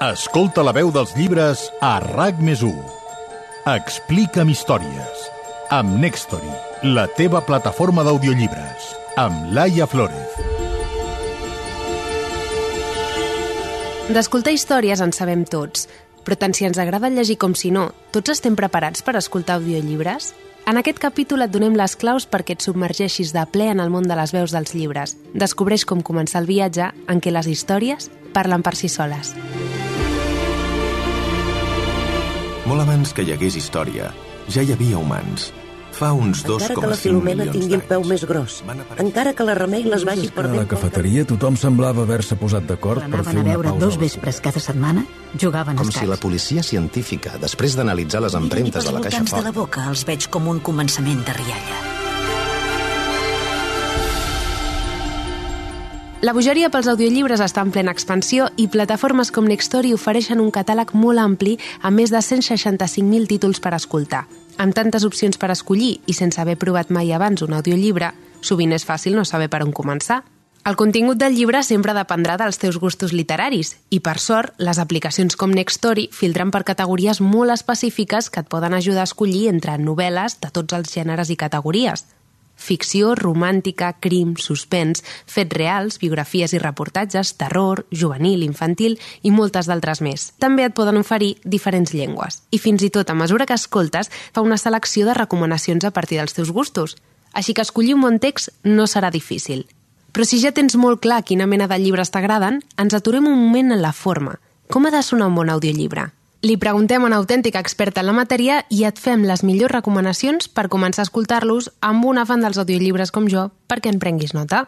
Escolta la veu dels llibres a RAC+1. Explica'm històries. Amb Nextory, la teva plataforma d'audiollibres. Amb Laia Flórez. D'escoltar històries en sabem tots, però tant si ens agrada llegir com si no, tots estem preparats per escoltar audiollibres? En aquest capítol et donem les claus perquè et submergeixis de ple en el món de les veus dels llibres. Descobreix com començar el viatge en què les històries parlen per si soles. Molt abans que hi hagués història, ja hi havia humans. Fa uns 2,5 milions d'anys. Encara que la Filomena tingui el peu més gros, encara que la Remei les vagi perdent... A la cafeteria tothom semblava haver-se posat d'acord per fer una pausa. Anaven a veure 2 vespres cada setmana, jugaven a escacs. Com si la policia científica, després d'analitzar les empremtes de la caixa fort... de la boca els veig com un començament de rialla. La bogeria pels audiollibres està en plena expansió i plataformes com Nextory ofereixen un catàleg molt ampli amb més de 165.000 títols per escoltar. Amb tantes opcions per escollir i sense haver provat mai abans un audiollibre, sovint és fàcil no saber per on començar. El contingut del llibre sempre dependrà dels teus gustos literaris i, per sort, les aplicacions com Nextory filtren per categories molt específiques que et poden ajudar a escollir entre novel·les de tots els gèneres i categories. Ficció, romàntica, crim, suspens, fets reals, biografies i reportatges, terror, juvenil, infantil i moltes d'altres més. També et poden oferir diferents llengües. I fins i tot, a mesura que escoltes, fa una selecció de recomanacions a partir dels teus gustos. Així que escollir un bon text no serà difícil. Però si ja tens molt clar quina mena de llibres t'agraden, ens aturem un moment en la forma. Com ha de sonar un bon audiollibre? Li preguntem a una autèntica experta en la matèria i et fem les millors recomanacions per començar a escoltar-los amb una fan dels audiollibres com jo perquè en prenguis nota.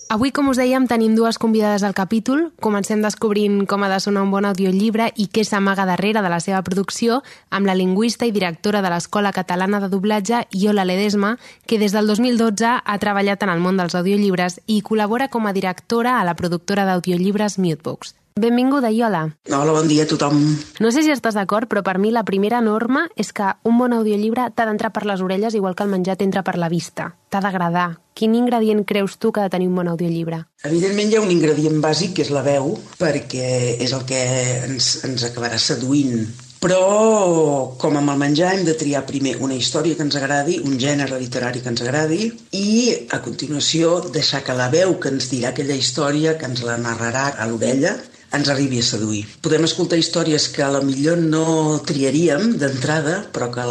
Avui, com us dèiem, tenim 2 convidades al capítol. Comencem descobrint com ha de sonar un bon audiollibre i què s'amaga darrere de la seva producció amb la lingüista i directora de l'Escola Catalana de Doblatge, Iola Ledesma, que des del 2012 ha treballat en el món dels audiollibres i col·labora com a directora a la productora d'audiollibres Mutebooks. Benvinguda, Iola. Hola, bon dia a tothom. No sé si estàs d'acord, però per mi la primera norma és que un bon audiollibre t'ha d'entrar per les orelles igual que el menjar t'entra per la vista. T'ha d'agradar. Quin ingredient creus tu que ha de tenir un bon audiollibre? Evidentment hi ha un ingredient bàsic, que és la veu, perquè és el que ens acabarà seduint. Però, com amb el menjar, hem de triar primer una història que ens agradi, un gènere literari que ens agradi, i, a continuació, deixar que la veu que ens dirà aquella història, que ens la narrarà a l'orella, ens arribi a seduir. Podem escoltar històries que a la millor no triaríem d'entrada, però que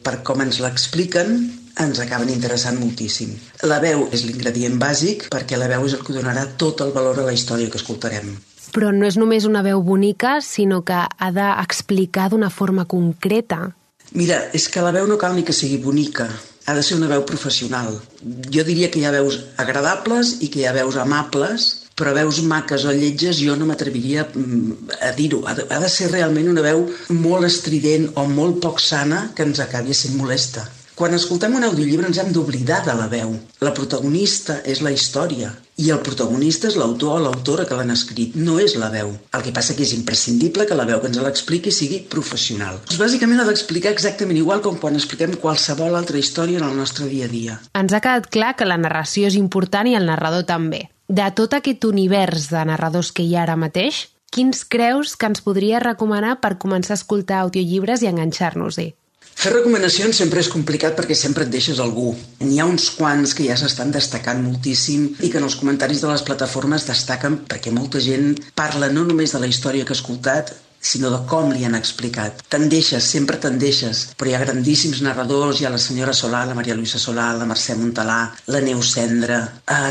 per com ens l'expliquen ens acaben interessant moltíssim. La veu és l'ingredient bàsic perquè la veu és el que donarà tot el valor a la història que escoltarem. Però no és només una veu bonica, sinó que ha d'explicar d'una forma concreta. Mira, és que la veu no cal ni que sigui bonica, ha de ser una veu professional. Jo diria que hi ha veus agradables i que hi ha veus amables, però veus maques o lletges jo no m'atreviria a dir-ho. Ha de ser realment una veu molt estrident o molt poc sana que ens acabi sent molesta. Quan escoltem un audiollibre ens hem d'oblidar de la veu. La protagonista és la història i el protagonista és l'autor o l'autora que l'han escrit, no és la veu. El que passa que és imprescindible que la veu que ens l'expliqui sigui professional. Bàsicament ha d'explicar exactament igual com quan expliquem qualsevol altra història en el nostre dia a dia. Ens ha quedat clar que la narració és important i el narrador també. De tot aquest univers de narradors que hi ha ara mateix, quins creus que ens podria recomanar per començar a escoltar audiollibres i enganxar-nos-hi? Fer recomanacions sempre és complicat perquè sempre et deixes algú. N'hi ha uns quants que ja s'estan destacant moltíssim i que en els comentaris de les plataformes destaquen perquè molta gent parla no només de la història que ha escoltat, sinó de com li han explicat. Tendeixes, sempre tendeixes, però hi ha grandíssims narradors, hi ha la senyora Solà, la Maria Luisa Solà, la Mercè Montalà, la Neus Cendra,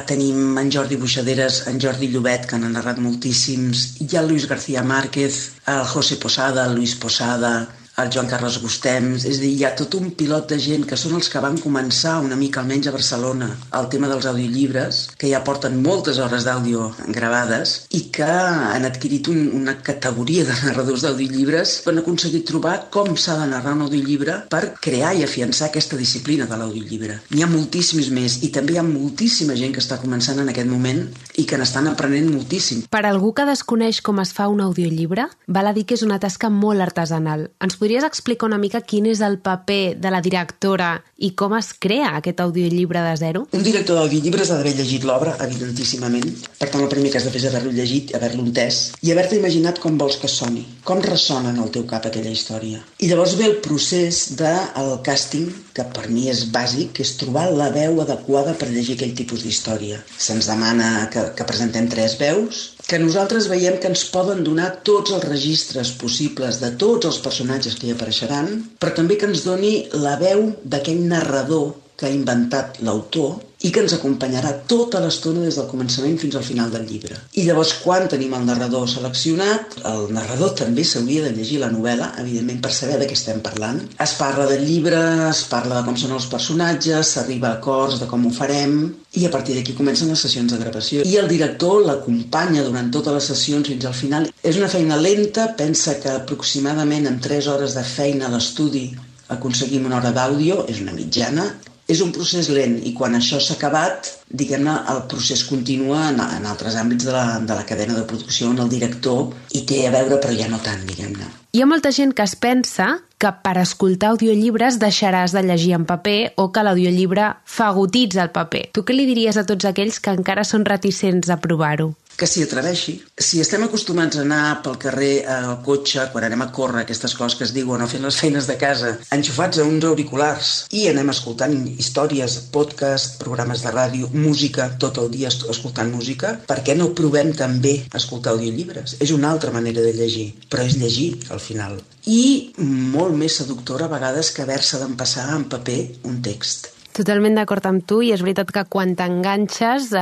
tenim en Jordi Buixaderes, en Jordi Llobet, que n'han narrat moltíssims, hi ha el Luis García Márquez, el José Posada, el Luis Posada, el Joan Carles Gustems, és a dir, hi ha tot un pilot de gent que són els que van començar una mica almenys a Barcelona el tema dels audiollibres, que ja porten moltes hores d'àudio gravades i que han adquirit una categoria de narradors d'audiollibres que han aconseguit trobar com s'ha de narrar un audiollibre per crear i afiançar aquesta disciplina de l'audiollibre. N'hi ha moltíssims més i també hi ha moltíssima gent que està començant en aquest moment i que n'estan aprenent moltíssim. Per algú que desconeix com es fa un audiollibre, val a dir que és una tasca molt artesanal. Ens podries explicar una mica quin és el paper de la directora i com es crea aquest audiollibre de zero? Un director d'audiollibres ha d'haver llegit l'obra, evidentíssimament. Per tant, el primer que has de fer és haver-lo llegit, haver-lo entès i haver-te imaginat com vols que soni, com ressona en el teu cap aquella història. I llavors ve el procés del càsting, que per mi és bàsic, que és trobar la veu adequada per llegir aquell tipus d'història. Se'ns demana que presentem 3 veus, que nosaltres veiem que ens poden donar tots els registres possibles de tots els personatges que hi apareixeran, però també que ens doni la veu d'aquell narrador que ha inventat l'autor i que ens acompanyarà tota l'estona des del començament fins al final del llibre. I llavors, quan tenim el narrador seleccionat, el narrador també s'hauria de llegir la novel·la, evidentment, per saber de què estem parlant. Es parla del llibre, es parla de com són els personatges, s'arriba a acords de com ho farem, i a partir d'aquí comencen les sessions de gravació. I el director l'acompanya durant totes les sessions fins al final. És una feina lenta, pensa que aproximadament en 3 hores de feina a l'estudi aconseguim una hora d'àudio, és una mitjana. És un procés lent i quan això s'ha acabat, diguem-ne, el procés continua en altres àmbits de la cadena de producció on el director hi té a veure, però ja no tant, diguem-ne. Hi ha molta gent que es pensa que per escoltar audiollibres deixaràs de llegir en paper o que l'audiollibre fagotitza el paper. Tu què li diries a tots aquells que encara són reticents a provar-ho? Que s'hi atreveixi. Si estem acostumats a anar pel carrer al cotxe, quan anem a córrer, aquestes coses que es diuen, o fent les feines de casa, enxufats a uns auriculars, i anem escoltant històries, podcast, programes de ràdio, música, tot el dia escoltant música, per què no provem també escoltar audiollibres? És una altra manera de llegir, però és llegir, al final. I molt més seductora a vegades que haver-se d'empassar en paper un text. Totalment d'acord amb tu, i és veritat que quan t'enganxes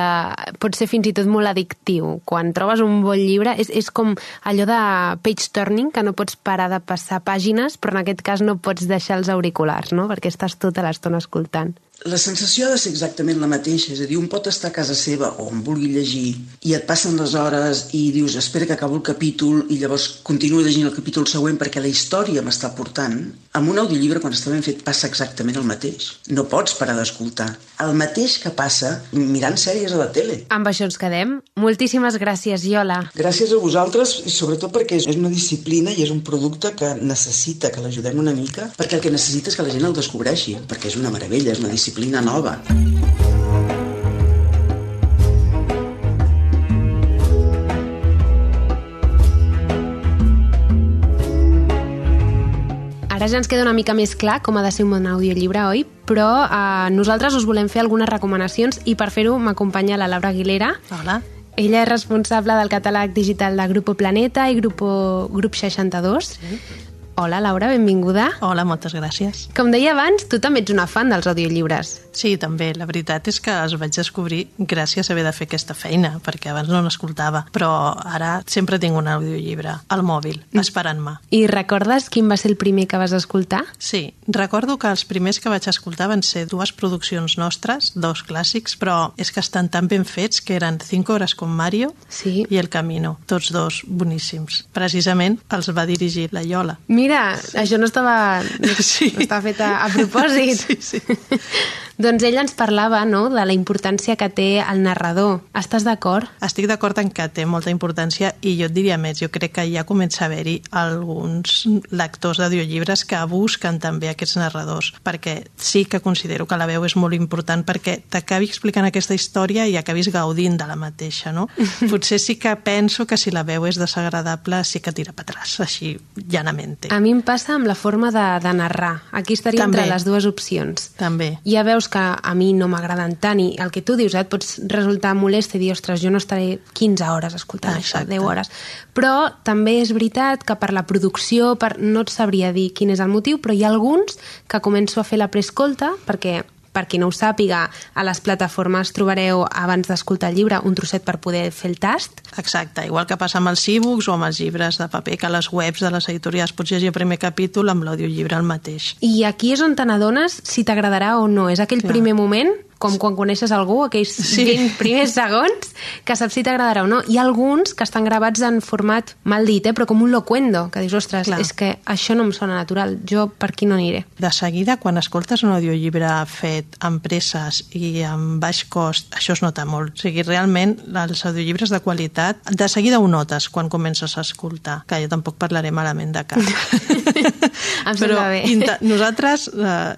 pot ser fins i tot molt addictiu. Quan trobes un bon llibre és com allò de page turning, que no pots parar de passar pàgines, però en aquest cas no pots deixar els auriculars, no? Perquè estàs tota l'estona escoltant. La sensació ha de ser exactament la mateixa, és a dir, un pot estar a casa seva o on vulgui llegir i et passen les hores i dius espera que acabo el capítol i llavors continuo llegint el capítol següent perquè la història m'està portant. Amb un audiollibre, quan està ben fet, passa exactament el mateix. No pots parar d'escoltar. El mateix que passa mirant sèries a la tele. Amb això ens quedem. Moltíssimes gràcies, Iola. Gràcies a vosaltres i sobretot perquè és una disciplina i és un producte que necessita que l'ajudem una mica, perquè el que necessita és que la gent el descobreixi, perquè és una meravella, és una disciplina nova. Ara ja ens queda una mica més clar com ha de ser un bon audiollibre, oi? Però nosaltres us volem fer algunes recomanacions i per fer-ho m'acompanya la Laura Aguilera. Hola. Ella és responsable del catàleg digital de Grupo Planeta i Grup 62. Sí. Hola, Laura, benvinguda. Hola, moltes gràcies. Com deia abans, tu també ets una fan dels audiollibres. Sí, també. La veritat és que els vaig descobrir gràcies a haver de fer aquesta feina, perquè abans no l'escoltava. Però ara sempre tinc un audiollibre al mòbil, esperant-me. I recordes quin va ser el primer que vas escoltar? Sí, recordo que els primers que vaig escoltar van ser 2 produccions nostres, 2 clàssics, però és que estan tan ben fets que eren 5 hores con Mario i El Camino, tots 2 boníssims. Precisament els va dirigir la Iola. Mira, això no estava fet a propòsit. Sí. Doncs ella ens parlava, no?, de la importància que té el narrador. Estàs d'acord? Estic d'acord en que té molta importància i jo et diria més, jo crec que ja comença a haver-hi alguns lectors d'audiollibres que busquen també aquests narradors, perquè sí que considero que la veu és molt important perquè t'acabi explicant aquesta història i acabis gaudint de la mateixa, no? Potser sí que penso que si la veu és desagradable sí que tira per atràs, així llanamente. A mi em passa amb la forma de narrar. Aquí estaria també entre les dues opcions. També. Ja veus que a mi no m'agraden tant i el que tu dius, et pots resultar molest i dir, ostres, jo no estaré 15 hores escoltant això, 10 hores. Però també és veritat que per la producció, no et sabria dir quin és el motiu, però hi ha alguns que començo a fer la preescolta perquè per qui no ho sàpiga, a les plataformes trobareu, abans d'escoltar el llibre, un trosset per poder fer el tast. Exacte, igual que passa amb els e-books o amb els llibres de paper, que a les webs de les editorials pots llegir el primer capítol amb l'audiollibre el mateix. I aquí és on te n'adones si t'agradarà o no. És aquell primer moment com quan coneixes algú, aquells 20 primers segons, que saps si t'agradarà o no. Hi ha alguns que estan gravats en format mal dit, però com un locuendo, que dius, ostres, és que això no em sona natural, jo per aquí no aniré. De seguida, quan escoltes un audiollibre fet amb presses i amb baix cost, això es nota molt. O sigui, realment, els audiollibres de qualitat, de seguida ho notes quan comences a escoltar, que jo tampoc parlaré malament de cap. Em sembla bé. Nosaltres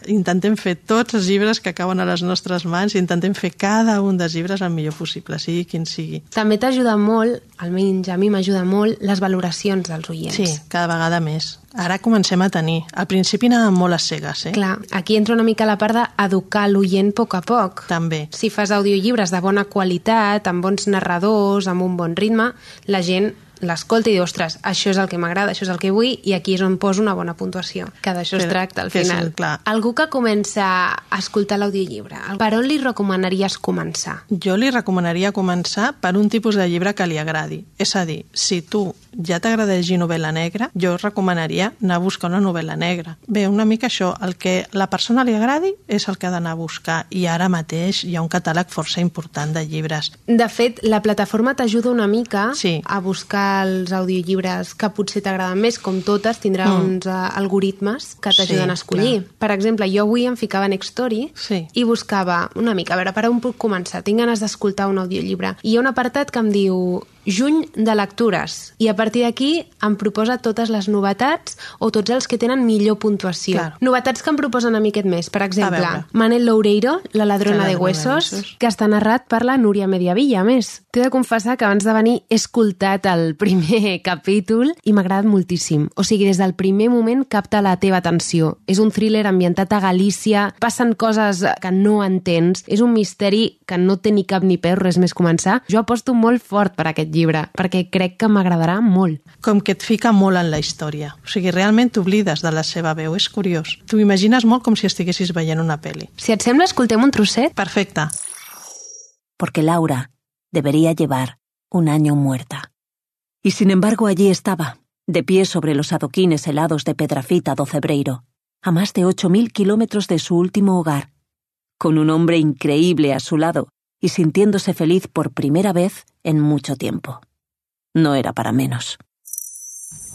intentem fer tots els llibres que acaben a les nostres mans i intentem fer cada un dels llibres el millor possible, sigui quin sigui. També t'ajuda molt, almenys a mi m'ajuda molt, les valoracions dels oients. Sí, cada vegada més. Ara comencem a tenir. Al principi anàvem molt a cegues, Clar, aquí entra una mica la part d'educar l'oient a poc a poc. També. Si fas audiollibres de bona qualitat, amb bons narradors, amb un bon ritme, la gent l'escolta i diu, ostres, això és el que m'agrada, això és el que vull, i aquí és on poso una bona puntuació. Que d'això es tracta al final. Algú que comença a escoltar l'audiollibre, per on li recomanaries començar? Jo li recomanaria començar per un tipus de llibre que li agradi. És a dir, si tu ja t'agrada llegir novel·la negra, jo recomanaria anar a buscar una novel·la negra. Bé, una mica això, el que la persona li agradi és el que ha d'anar a buscar, i ara mateix hi ha un catàleg força important de llibres. De fet, la plataforma t'ajuda una mica a buscar els audiollibres que potser t'agraden més, com totes, tindrà uns algoritmes que t'ajuden a escollir. Clar. Per exemple, jo avui em ficava en Nextory i buscava una mica, a veure, per on puc començar? Tinc ganes d'escoltar un audiollibre. I hi ha un apartat que em diu juny de lectures, i a partir d'aquí em proposa totes les novetats o tots els que tenen millor puntuació. Claro. Novetats que em proposen a mi aquest mes, per exemple, Manel Loureiro, La ladrona de huesos, que està narrat per la Núria Mediavilla, a més. T'he de confessar que abans de venir he escoltat el primer capítol i m'ha agradat moltíssim. O sigui, des del primer moment capta la teva atenció. És un thriller ambientat a Galícia, passen coses que no entens, és un misteri que no té ni cap ni peus, res més començar. Jo aposto molt fort per aquest llibre, perquè crec que m'agradarà molt. Com que et fica molt en la història. O sigui, realment t'oblides de la seva veu, és curiós. T'ho imagines molt com si estiguessis veient una pel·li. Si et sembla, escoltem un trosset? Perfecte. Porque Laura debería llevar un año muerta. Y sin embargo allí estaba, de pie sobre los adoquines helados de Pedrafita do Cebreiro, a más de 8.000 kilómetros de su último hogar, con un hombre increíble a su lado, y sintiéndose feliz por primera vez en mucho tiempo. No era para menos.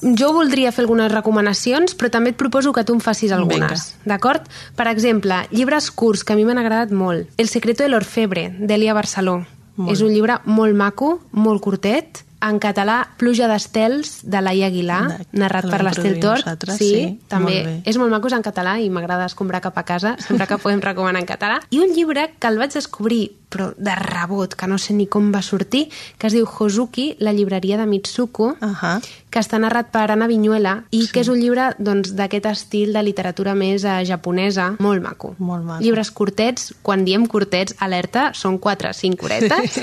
Jo voldria fer algunes recomanacions, però també et proposo que tu em facis algunes, d'acord? Per exemple, llibres curts que a mi m'han agradat molt. El secreto de l'orfebre, d'Elia Barceló. És un llibre molt maco, molt curtet, en català, Pluja d'estels, de Laia Aguilar, narrat per l'Estel Tort. Sí, també. És molt maco, és en català i m'agrada escombrar cap a casa, sempre que podem recomanar en català. I un llibre que el vaig descobrir, però de rebot, que no sé ni com va sortir, que es diu Hozuki, la llibreria de Mitsuko, que està narrat per Anna Viñuela i que és un llibre d'aquest estil de literatura més japonesa, molt maco. Molt maco. Llibres curtets, quan diem curtets, alerta, són 4-5 horetes,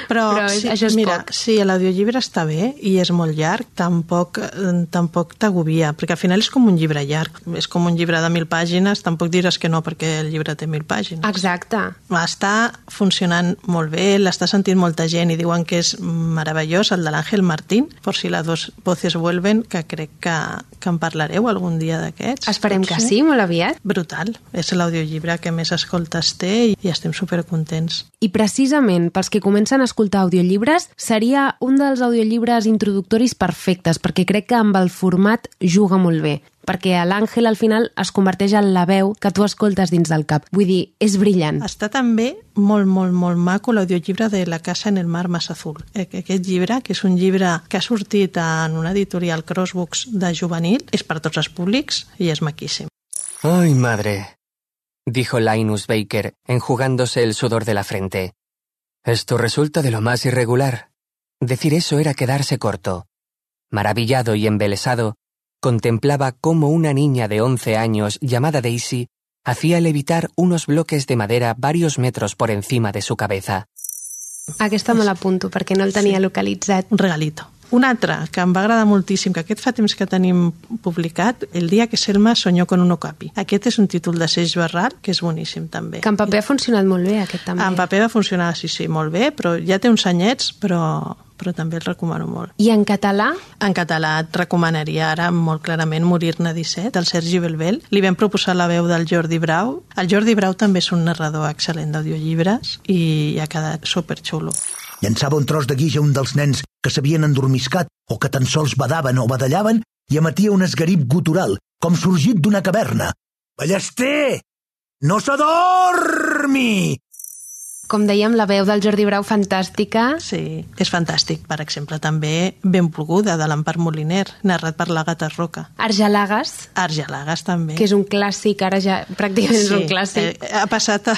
però això és poc. Sí, l'audiollibre està bé i és molt llarg, tampoc t'agobia, perquè al final és com un llibre llarg, és com un llibre de 1.000 pàgines, tampoc diràs que no perquè el llibre té 1.000 pàgines. Exacte. Està funcionant molt bé, l'està sentint molta gent i diuen que és meravellós, el de l'Àngel Martín, por si las dos voces vuelven, que crec que en parlareu algun dia d'aquests. Esperem que sí, molt aviat. Brutal, és l'audiollibre que més escoltes té i estem supercontents. I precisament pels que comencen a escoltar audiollibres seria un dels audiollibres introductoris perfectes, perquè crec que amb el format juga molt bé, perquè l'Àngel al final es converteix en la veu que tu escoltes dins del cap. Vull dir, és brillant. Està també molt, molt, molt maco l'audiollibre de La casa en el mar más azul. Aquest llibre, que és un llibre que ha sortit en una editorial Crossbooks de juvenil, és per tots els públics i és maquíssim. ¡Ay, madre!, dijo Linus Baker, enjugándose el sudor de la frente. Esto resulta de lo más irregular. Decir eso era quedarse corto. Maravillado y embelesado, contemplaba cómo una niña de 11 años llamada Daisy hacía levitar unos bloques de madera varios metros por encima de su cabeza. Aquesta me l'apunto perquè no el tenia localitzat. Un regalito. Un altre que em va agradar moltíssim, que aquest fa temps que tenim publicat, El dia que Selma soñó con un okapi. Aquest és un títol de Seix Barral, que és boníssim també. Que en paper ha funcionat molt bé, aquest també. En paper va funcionar, sí, molt bé, però ja té uns anyets, però però també el recomano molt. I en català? En català et recomanaria ara molt clarament Morir-ne 17, del Sergi Belbel. Li vam proposar la veu del Jordi Brau. El Jordi Brau també és un narrador excel·lent d'audiollibres i ha quedat superxulo. Llançava un tros de guix a un dels nens que s'havien endormiscat o que tan sols badaven o badallaven i emetia un esgarip gutural, com sorgit d'una caverna. Ballester! No s'adormi! Com dèiem, la veu del Jordi Brau fantàstica. Sí, és fantàstic. Per exemple, també Ben ploguda, de l'Empar Moliner, narrat per l'Àgata Roca. Argelagues. Argelagues, també. Que és un clàssic, ara ja pràcticament és un clàssic. Ha passat a...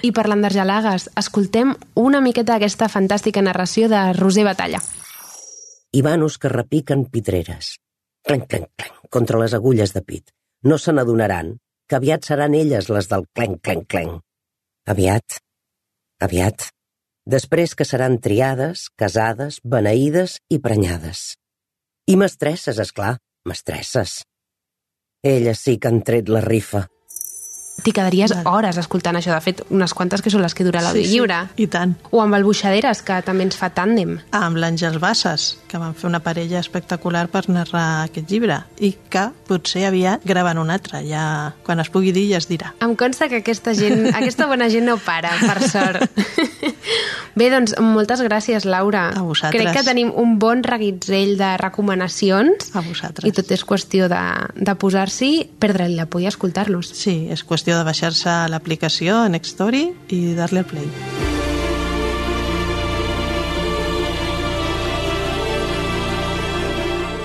I parlant d'Argelagues, escoltem una miqueta d'aquesta fantàstica narració de Roser Batalla. Ivanos que repiquen pitreres. Clenc, clenc, clenc, contra les agulles de pit. No se n'adonaran que aviat seran elles les del clenc, clenc, clenc. Aviat. Després que seran triades, casades, beneïdes i prenyades. I mestresses, esclar, mestresses. Elles sí que han tret la rifa. T'hi quedaries hores escoltant això. De fet, unes quantes que són les que dura l'audiollibre. Sí, i tant. O amb el Buixaderes, que també ens fa tàndem. Amb l'Àngels Bassas, que van fer una parella espectacular per narrar aquest llibre i que potser aviat graven un altre. Ja, quan es pugui dir, ja es dirà. Em consta que aquesta bona gent no para, per sort. Bé, doncs, moltes gràcies, Laura. A vosaltres. Crec que tenim un bon reguitzell de recomanacions. A vosaltres. I tot és qüestió de posar-s'hi, perdre-li la por i escoltar-los. Sí, és qüestió de baixar-se l'aplicació Nextory i dar-li al play.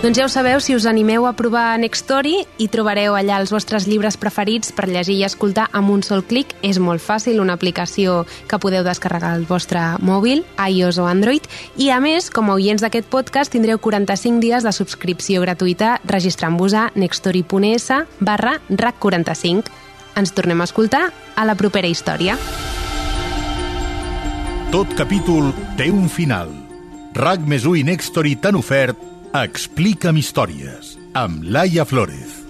Doncs ja ho sabeu, si us animeu a provar Nextory hi trobareu allà els vostres llibres preferits per llegir i escoltar amb un sol clic. És molt fàcil, una aplicació que podeu descarregar al vostre mòbil, iOS o Android, i a més, com a oients d'aquest podcast, tindreu 45 dies de subscripció gratuïta registrant-vos a nextory.es/RAC45. Ens tornem a escoltar a la propera història. Tot capítol té un final. RAC+1 i Nextory t'han ofert Explica'm històries, amb Laia Flórez.